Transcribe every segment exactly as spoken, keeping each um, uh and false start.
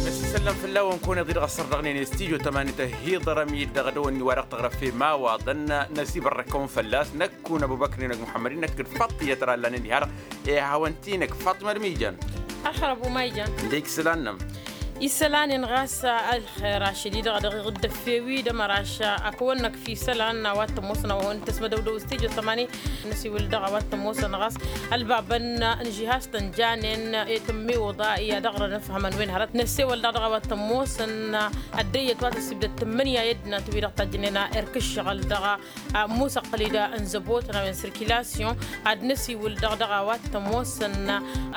Năsisăllăm fălla-wăn kăwăn-iḍǝy dăɣ-ăssărdăɣnen i-studyo tămani tăhiḍărăm-dd dăɣ-dăwănni wa dăɣ-tăɣrăf i-imawaḍăn. Năsibărrăkăwăn fălla-s năkk kunăbubăknen ăgg muḥămmăd-in năkk d-faḍt tiyyăt ra ǝllanen diha-dăɣ. Ihawăn-t-i-năk faḍmăd mijan. Ălxer ăbu maijan. Ǝndek isălan-năm. Isălan-in ɣas ălxer ašăl-i-dăɣ dăɣ-iɣǝddăf fewi d-ămăraš. Akăwăn-năkf isălan a-wa t-ămoosăn a-wa hawăn-tăsmădăwdăw studyo tămani. Năsiwǝl dăɣ-a-wa t-ămoosăn ɣas ălbabăn n-ižihastăn janen i-tǝmmiwǝḍa i-ad-dăɣ-răn ǝfhămăn wen hărăt năssewăl-dăɣ dăɣ-a-wa t-ămoosăn. Ăddăyyăt wa tăssibdăt tǝmmǝnǝya i-ăddinăt-wi-dăɣ tajjănen erk ǝššăɣǝl dăɣ-a musăqqǝl-i-da n-zăbotăn a-wen sirkilasyon. Ad-năsiwǝl dăɣ-dăɣ a-wa t-ămoosăn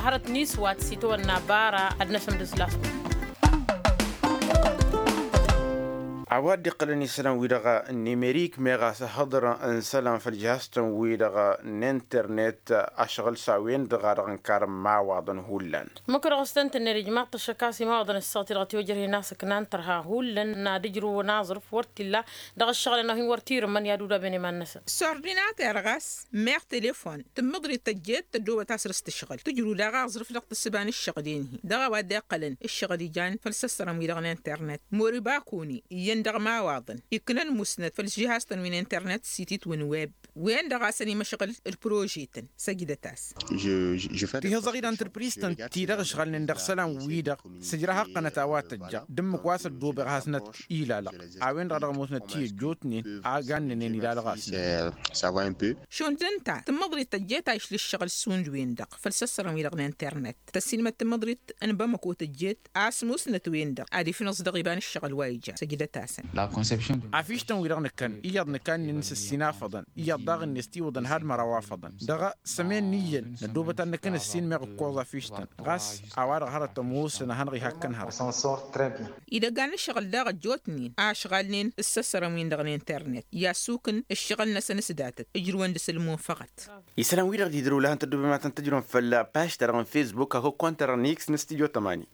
hărăt n-iswat s-itawănna bara ad-năsǝmdǝs lastă. A-wa dd-iqqălăn isălan-wi-dăɣ n-nimerik meɣ a-s ăhhăḍrăn isălan făll-jihaz-tăn-wi-dăɣ n-internet. Ašăɣǝl s-a-wen-dăɣ a dăɣ-ǝnkarăn imawaḍăn hullan. Măkk dăɣ-s tăn-tǝnned ijmaḍ-t ăššăk a-s imawaḍăn ǝssaɣ-t-i dăɣ-tiwăjrăh-in a-s ǝknan tărha hullan n-ad-ǝjrǝw n-aẓrǝf wăr t-illa dăɣ-ăššăɣǝlăn a hin-wăr t-irǝmmăn i-ad-udaben iman-năsăn. S-ordinater ɣas meɣ telefon tǝmmǝḍrit tăjjeet tăddoobăt a-s dăr-s tǝšɣǝl tǝjrǝw daɣ aẓrǝf dăɣ-tǝssǝba n-ǝššăɣǝl-en-hi dăɣ-a-wa dd-iqqălăn ǝššăɣǝl ijan făll-isăssărăn-wi-dăɣ n-internet. Moribakuni iyyăn dăɣ-imawaḍăn iknăn musnăt făll-jihaz-tăn wi n-internet s-ititwǝn web wen-dăɣ a-s ănimăšɣǝl d-prožetăn. Săjdăt-as. Tihǝẓăɣ-dd antrepriztăn ti-dăɣ ǝšɣalnen dăɣ-isălan-wi-dăɣ s-ǝjrăh ăqqănăt a-wa tăjja d-ǝmmǝk wa s-ăddoobăɣ has-năt ilalăɣ. A-wen-dăɣ a dăɣ-ămoosnăt ti ăjjootnen a gannănen ilalăɣ-asnăt. Šund ǝnta tǝmmǝḍrit tăjjeet a išla ǝššăɣǝl šund-wen-dăɣ făll-isăssărăn-wi-dăɣ n-internet tăssiilmăd tǝmmǝḍrit n-bamăko tăjjeet a-s musnăt-wen-dăɣ ad-ifnǝẓ dăɣ-iba n-ǝššăɣǝl wa ija. Săjdăt-asăn. Afiš-tăn-wi-dăɣ nǝkkăn iyyăḍ nǝkannin s-ǝssin afăḍăn iyyăḍ daɣ-net tiwǝḍăn had-măraw afăḍăn dăɣ-sămen n-iyyăn năddoobăt ad-nǝkkăn ǝssin meɣ ǝkkoẓ afiš-tăn. Ɣas a-wa-dăɣ hărăt ămoosăn ad-hanăɣ-ihakkăn hărăt. Idăggan n-ǝššăɣǝl daɣ ăjjootnen a ǝšɣalnen s-isăssărăn-win-dăɣ n-internet i-assukǝn ǝššăɣǝl-năsăn s-datăt ǝjrǝwăn dăɣ-s ălmunfăɣăt. Isălan-wi-dăɣ dd-idrăw lahăn tăddoobem ad-tăn-tǝjrǝwăm făll-pažt-ta-dăɣ n-fesbuk hakd kontra n-iks n-studyo tămani.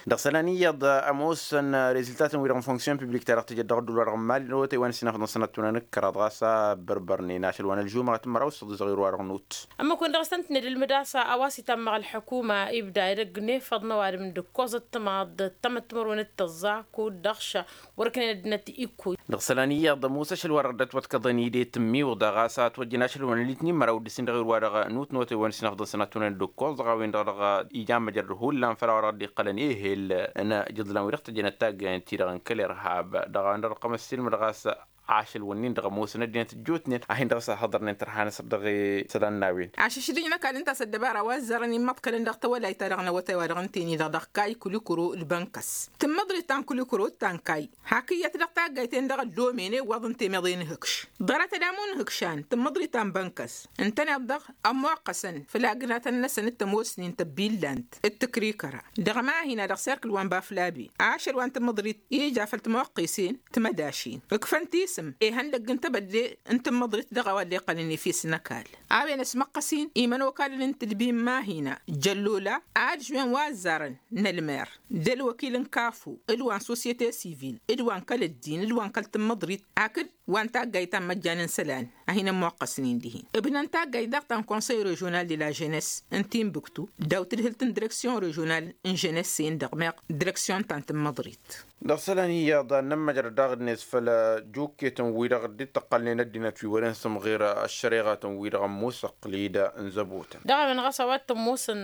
Dăɣ-isălan iyyăḍ ămoosăn rezultatăn-wi-dăɣ n-fonksyon piblik-ta-dăɣ tǝjăd dăɣ-ădduul-wa-dăɣ n-mali n-awătay wa n-ăssinafăḍăn sănăt tunăn ǝkkăraḍ ɣas a bărbărnen ašăl wa n-ălžumăɣăt n-măraw s-săḍisăɣ irwa-dăɣ n-ut. Ămmăkun dăɣ-s tăn-tǝnned ǝlmǝd a-s a-wa s-itammăɣ ălḥukuma ibda edăgg n-efăḍ n-ăwadǝm d-ǝkkoẓăt timaḍ d-tamăttmărwen d-tăẓẓa kud-dăɣ ša wăr-ǝknen ăddinăt ikkuy. Dăɣ-isălan iyyăḍ ămoos ašăl wa dăɣ-dd-ătwătkăḍăn i-de tǝmmiwǝḍa ɣas a ătwăjjăn ašăl wa n-ălitnin măraw d-ǝssin dăɣ-irwa-dăɣ n-utnotăy wa n-ǝssinafăḍăn sănăt tunăn d-ǝkkoẓ dăɣ-a-wen-dăɣ dăɣ-ija n-măjrăd hullan făll-a-wa dăɣ-dd-iqqălăn ehel n-ijǝḍlan wi-dăɣ tăjjănăt taggayăn-ti-dăɣ n-kăl-irhab dăɣ-a-wen-dăɣ dăɣ-qăm ăssiilmăd ɣas ašăl wǝnnin-dăɣ ămoosăn ăddinăt ǝjjootnen a hin-dăɣ s-ăhhăḍărnen tărha-năsăr dăɣ-isălan n-a-wen. Ašăšdǝj n-ăkall ǝnta a-s ăddăbara wa ăzzarăn immăḍkălăn dăɣ-tawălayt-ta-dăɣ n-awătay-wa-dăɣ ǝnta-en-i-dăɣ dăɣ-kay kulikuro d-bănkăs tǝmmǝḍrit ta n-kulikuro d-ta n-kay. Hak iyyăt dăɣ-taggayt-en-dăɣ ăllomen i-iwwăḍ ǝnta i-meḍe n-ihǝkš ḍarăt ad-amu n-ihǝkšan tǝmmǝḍrit ta n-bănkăs ǝntăneḍ-dăɣ ămmoqqăsăn făll-agǝnatăn-năsăn d-tămoosnin tăbbillant d-tǝkrikăra. Dăɣ-mahina dăɣ-serkǝl wa n-baflabi ašăl wa n-tǝmmǝḍrit ija făll-timoqqisen timădašin ǝkfăn tisǝm ihăndăgg n-tebădde n-tǝmmǝḍrit dăɣ-a-wa dd-iqqălăn efes n-ăkall. A-wen ăsmăqqăs-in imănokalăn n-tǝdbi n-mahina jăllola ad-žwen wa ăzzarăn n-ălmer d-ălwăkil n-kafu d-wa n-sosyete sivil d-wa n-kăl-ăddin d-wa n-kăl-tǝmmǝḍrit hakd wa n-taggayt ta n-măjjan n-isălan a hin-ămmoqqăsnen dihen ǝbnăn taggayt daɣ ta n-konsăy režional de la ženess n-timbuktu daw-tǝdhǝlt n-direksyon režional n-ženess-en-dăɣ meɣ direksyon ta n-tǝmmǝḍrit. Dăɣ-isălan iyyăḍ ad-nămmăjrăd daɣ-net făll-juketăn-wi-dăɣ dd-tăqqălnen ăddinăt wi wăren sǝmɣer ăššăreɣatăn-wi-dăɣ ămmusăqqǝl-dd n-zăbotăn. Dăɣ-a-wen ɣas a-wa t-ămoosăn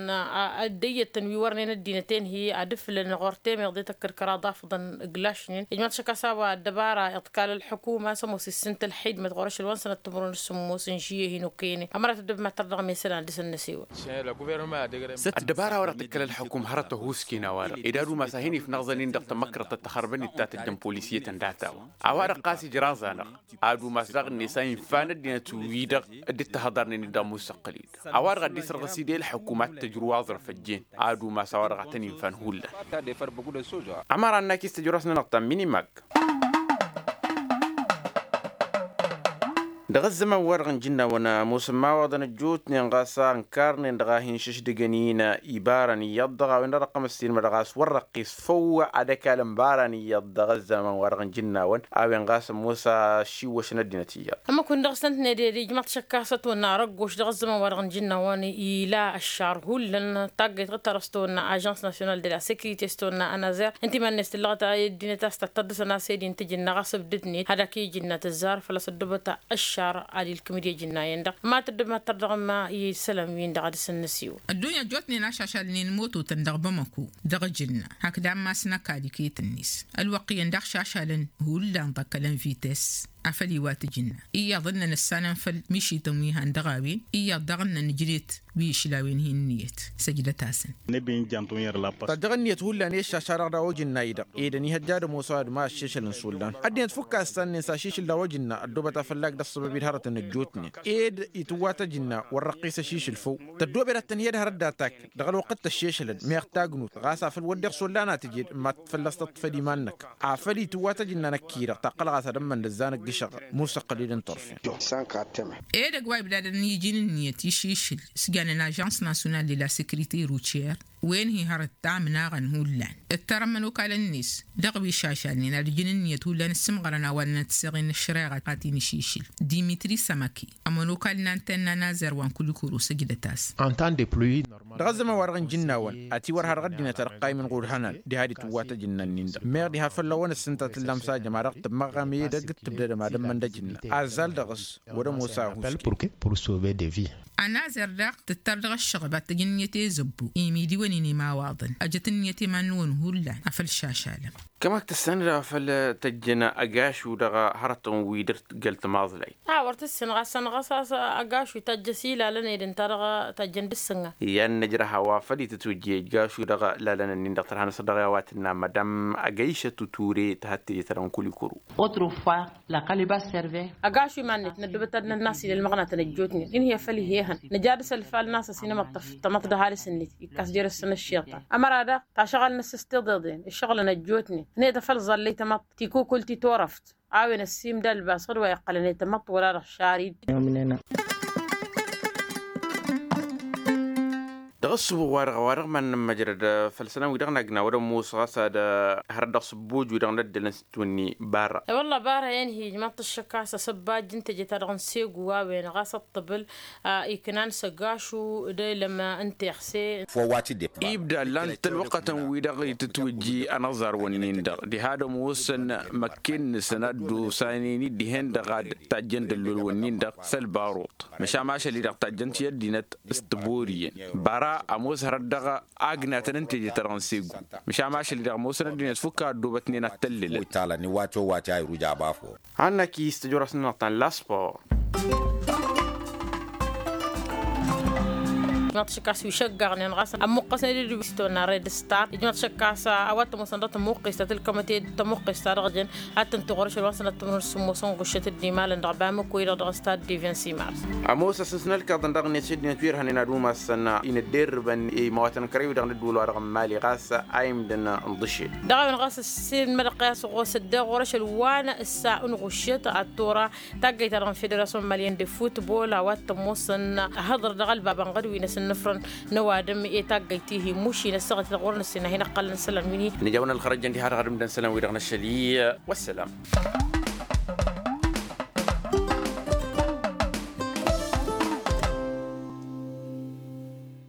ăddăyyătăn wi wărnen ăddinăt-en-hi ad-ǝflǝlăn ɣur-temeḍe tăkkăd kăraḍ afăḍăn ǝglašnen ijmaḍ šăkk a-s a-wa ăddăbara iḍkal ălḥukuma s-ămoos issǝn tălxidmăt ɣur-ašăl wa n-sănăt timǝrwen s-sǝmmos n-žiye hin-okăyănen ămărat ăddăb ma tărdăɣ mesălan dăr-săn n-asewăl. Ăddăbara wa dăɣ-tǝkkăl ălḥukum hărăt ăhuusken a-wa-dăɣ ed ad-umas a hin-ifnăẓăn-in dăɣ-tamăkrăḍt ta tăxărbăn-dd ta tǝjjăn polisyetăn data-wa a-wa-dăɣ ɣas ijraẓ-anăɣ ad-umas daɣ-net a infa n-ăddinăt-wi-dăɣ dd-tăhăḍarnen-dd ămmusăqqǝl-dd. A-wa-dăɣ a dd-isărɣǝs-dd i-ălḥukum ad-tǝjrǝw aẓrǝf ăjjeen ad-umas a-wa-dăɣ a tăn-infan hullan. Ămăra n-akis tǝjrǝw-asnănăɣ ta n-minimag. Dăɣ-ăzzăman-wa-dăɣ n-ijǝnnawăn ămoosăn imawaḍăn ăjjootnen ɣas a ǝnkarnen dăɣ-a hin-šǝšdǝgăn-in ibarăn iyyăḍ dăɣ-a-wen-dăɣ dăɣ-tămăssin ma dăɣ-a-s wăr răqqis făw ad-ăkalăn ibarăn iyyăḍ dăɣ-ăzzăman-wa-dăɣ n-ijǝnnawăn a-wen ɣas ămoos ašiwwăšăn ăddinăt iyyăḍ. Ămmăk-win-dăɣ s-ăntnet ed ijmăḍ šăkk a-s ătwănna răggoš dăɣ-ăzzăman-wa-dăɣ n-ijǝnnawăn ila ăššar hullan taggayt ɣǝd-ta-dăɣ s-tăwănna ažans nasyonal de la sekirite s-tăwănna ănazer ǝnta iman-net tǝllăɣăt i-ăddinăt a-s tăttăḍḍǝsăn a-s ed-in tǝjǝnna ɣas ǝbdǝdnet ad-ăkijǝnna tǝzzar făl-a-s ăddobăt ăššar ad-ilkǝm d-ijǝnna-en-dăɣ ma tǝddǝb ma tărdăɣ ma i-isălan-win-dăɣ ad-dăr-săn nǝsiwǝl. Ăddunya ăjjootnen ašašalnen mototăn dăɣ-bamăko dăɣ-ijǝnna hakd ammas n-ăkall iket-net ălwăqq iyyăn daɣ šašalăn hullan ḍăkkălăn vites afăl iwat ijǝnna iyyăḍ ǝnnăn ǝssanăn făll-mišităn wi han dăɣ-a-wen iyyăḍ daɣ ǝnnăn ǝjnet wi išlawen hi-ǝnniyăt săjdăt-asăn. Tăjjăɣ ǝnniyăt hullan i-ăššaša-dăɣ daw-ojǝnna-i-dăɣ ed ănihăjja ad-ămoos a-wa d-ma ăššešăl n-isullan ăddinăt fukk a ǝssannen s-ašišǝl daw-ojǝnna ăddoobăt afăllag d-ăṣṣăbăb-dd hărătăn ăjjootnen ed itǝwwat ăjǝnna wăr răqqis ăšišǝl făw tăddoobed ad-tăn-hi-ădhărăd d-atak dăɣ-ălwăqq d-tăššešălăn meɣ tagnut ɣas afăl wădden isullan a tǝjed ma fălla-s tăṭṭăfăd iman-năk afăl itǝwwat ăjǝnna năkk-i-dăɣ taqqăl ɣas ad-ămmăn d-ăzzanăgg ǝššăɣǝl musăqqăl-dd n-turfen. Ed ăgg wa ibdadăn iji n-ǝnniyăt iššǝšǝl s-jannen ažans nasyonal de la sekirite rucer wen hi-hărăt tamnaɣăn hullan ǝttărăn imănokalăn-net dăɣ-wi šašalnen ad-iji n-ǝnniyăt hullan ǝssǝmɣărăn a-wa ǝnnăn tǝsseɣen n-ăššăreɣa ta t-in-iššǝšǝl dimitri samăki ămănokal n-antenna n-azăr wa n-kulikuru săjdăt-as. Dăɣ-ăzzăman-wa-dăɣ n-ijǝnnawăn ătiwărha dăɣ-ăddinăt ad-ăqqaymăn ɣur-ihănan diha d-itǝwwat ăjǝnna-nin-dăɣ meɣ diha făll-a-wăn ǝssǝnta tǝllam s-ajăm a dăɣ-tǝmmăɣɣam edăgg d-tǝbdădăm ad-ămmăn d-ăjǝnna azzal dăɣ-s wăr-ămoos a ăhuske. Ănazăr daɣ tǝttăr dăɣ-ăššăɣăb ad-tăj ǝnniyăt i-zăbbu imidiwăn-in imawaḍăn ăjăt ǝnniyăt iman-năwăn hullan afăl šašalăm. Kămak tǝssanăd afăl tăjjăn ăgašu dăɣ-hărătăn-wi dăr-tǝggăl tămaḍlayt. A wăr tǝssǝn ɣas ănɣăs a-s ăgašu itajjăs ilalăn ed ǝnta-dăɣ tajjăn d-ǝssǝnga. Iyyăn nǝjrăh a-wa făl itǝtwǝjjej gašu dăɣ-lalăn-ǝnnin-dăɣ tărha năsăr dăɣ-i a-wa tǝnna madam ăgăyšăt uture tăhăt teje-ta-dăɣ n-kulikuru. Ăgašu iman-net năddubăt ad-nănnas ila ălmăɣnatăn ăjjootnen inhǝy afăl ih'-ehăn nǝja dăr-s ălfal n-asăs inămăṭṭăf tamăḍt d-ăhalǝs-net ikkas jer-s săn ăššiḍ-ta ămăra daɣ tašăɣal n-ăssăs tiḍeḍen ǝššăɣǝlăn ăjjootnen ănhăyăt afăl ẓallăy tamăḍt tikukǝlt i-turăft. A-wen ăssiimda ălbas ɣǝd wa iqqălăn i-tamăḍt wăla-dăɣ šarid. Dăɣ-ăssubuɣ-wa-dăɣ a-wa dăɣ-iman n-ămmăjrăd făll-isălan-wi-dăɣ n-agna wăr-ămoos ɣas ad-hărăt dăɣ-sǝbbuj-wi-dăɣ n-ăddălăn s-dd-tǝwǝnni barra. E-wălla barra i-ănhǝy ijmaḍ-t ăššăk a-s asăbbaj n-teje-ta-dăɣ n-segu a-wen ɣas ăṭṭăbǝl iknan s-ăgašu d-elăm n-teɣse. Ibda ǝllan-t ălwăqqătăn-wi-dăɣ itǝtwǝjji anăẓarwăn-nin-dăɣ diha d-ămoosăn măkken-năsăn ad-dd-osanen-dd dihen-dăɣ ad-tajjăn dăllolwăn-nin-dăɣ s-ălbaruḍ. Măšan ašăl-i-dăɣ tajjăn-t i-ăddinăt s-tiboriyen bara ămoos hărăt dăɣ-agnatăn n-teje-ta-dăɣ n-segu. Măšan ašăl-i-dăɣ ămoosăn ăddinăt fukk a ăddoobătnen ad-tăllǝlăn. Wi talăn iwat-o iwat i-a iruj abafo. Hannăk-i s-tăjorăs-nănăɣ ta n-laspor. Ijmaḍ-t šăkkas wi šăggaɣnen ɣas ămmuqqăsnen d-wi s-tonna red star ijmaḍ-t šăkkas a-wa t-ămoosăn dăɣ-tămuqqist a tǝlkămăt i-tămuqqist ta dăɣ-jăn ad-tǝntǝɣ orăšăl wa n-sănăt timǝrǝn s-sǝmmosăn ɣuššăt d-imalăn dăɣ-bamăko i-dăɣ dăɣ-stad diven simars. Ămoos asǝns n-ălkaḍăn dăɣ-net s-ăddinăt wi ărhănen ad-umasăn inǝdderrǝbăn i-imawatăn kărew-i-dăɣ n-ădduul wa dăɣ-n mali ɣas a imdăn n-iḍǝšel. Dăɣ-a-wen ɣas ăssiilmădăɣ-t i-a-s ɣur-s ăddeɣ ɣur-ašăl wa n-issa n-ɣuššăt ad-tura taggayt-ta-dăɣ n-federasyon malyen de futbol a-wa t-ămoosăn ahăḍăr dăɣ-ălbabăn ɣădwi n-asǝnnǝfrăn n-ăwadǝm i-taggayt-ihi muši n-ăssaɣăt-i-dăɣ ɣur-nǝssin a hin-ăqqălăn isălan wi n-hi. Nǝja-wăn ălxărăjăn diha-dăɣ ad-ǝmdăn isălan-wi-dăɣ n-ašăl-i. Wăssălam.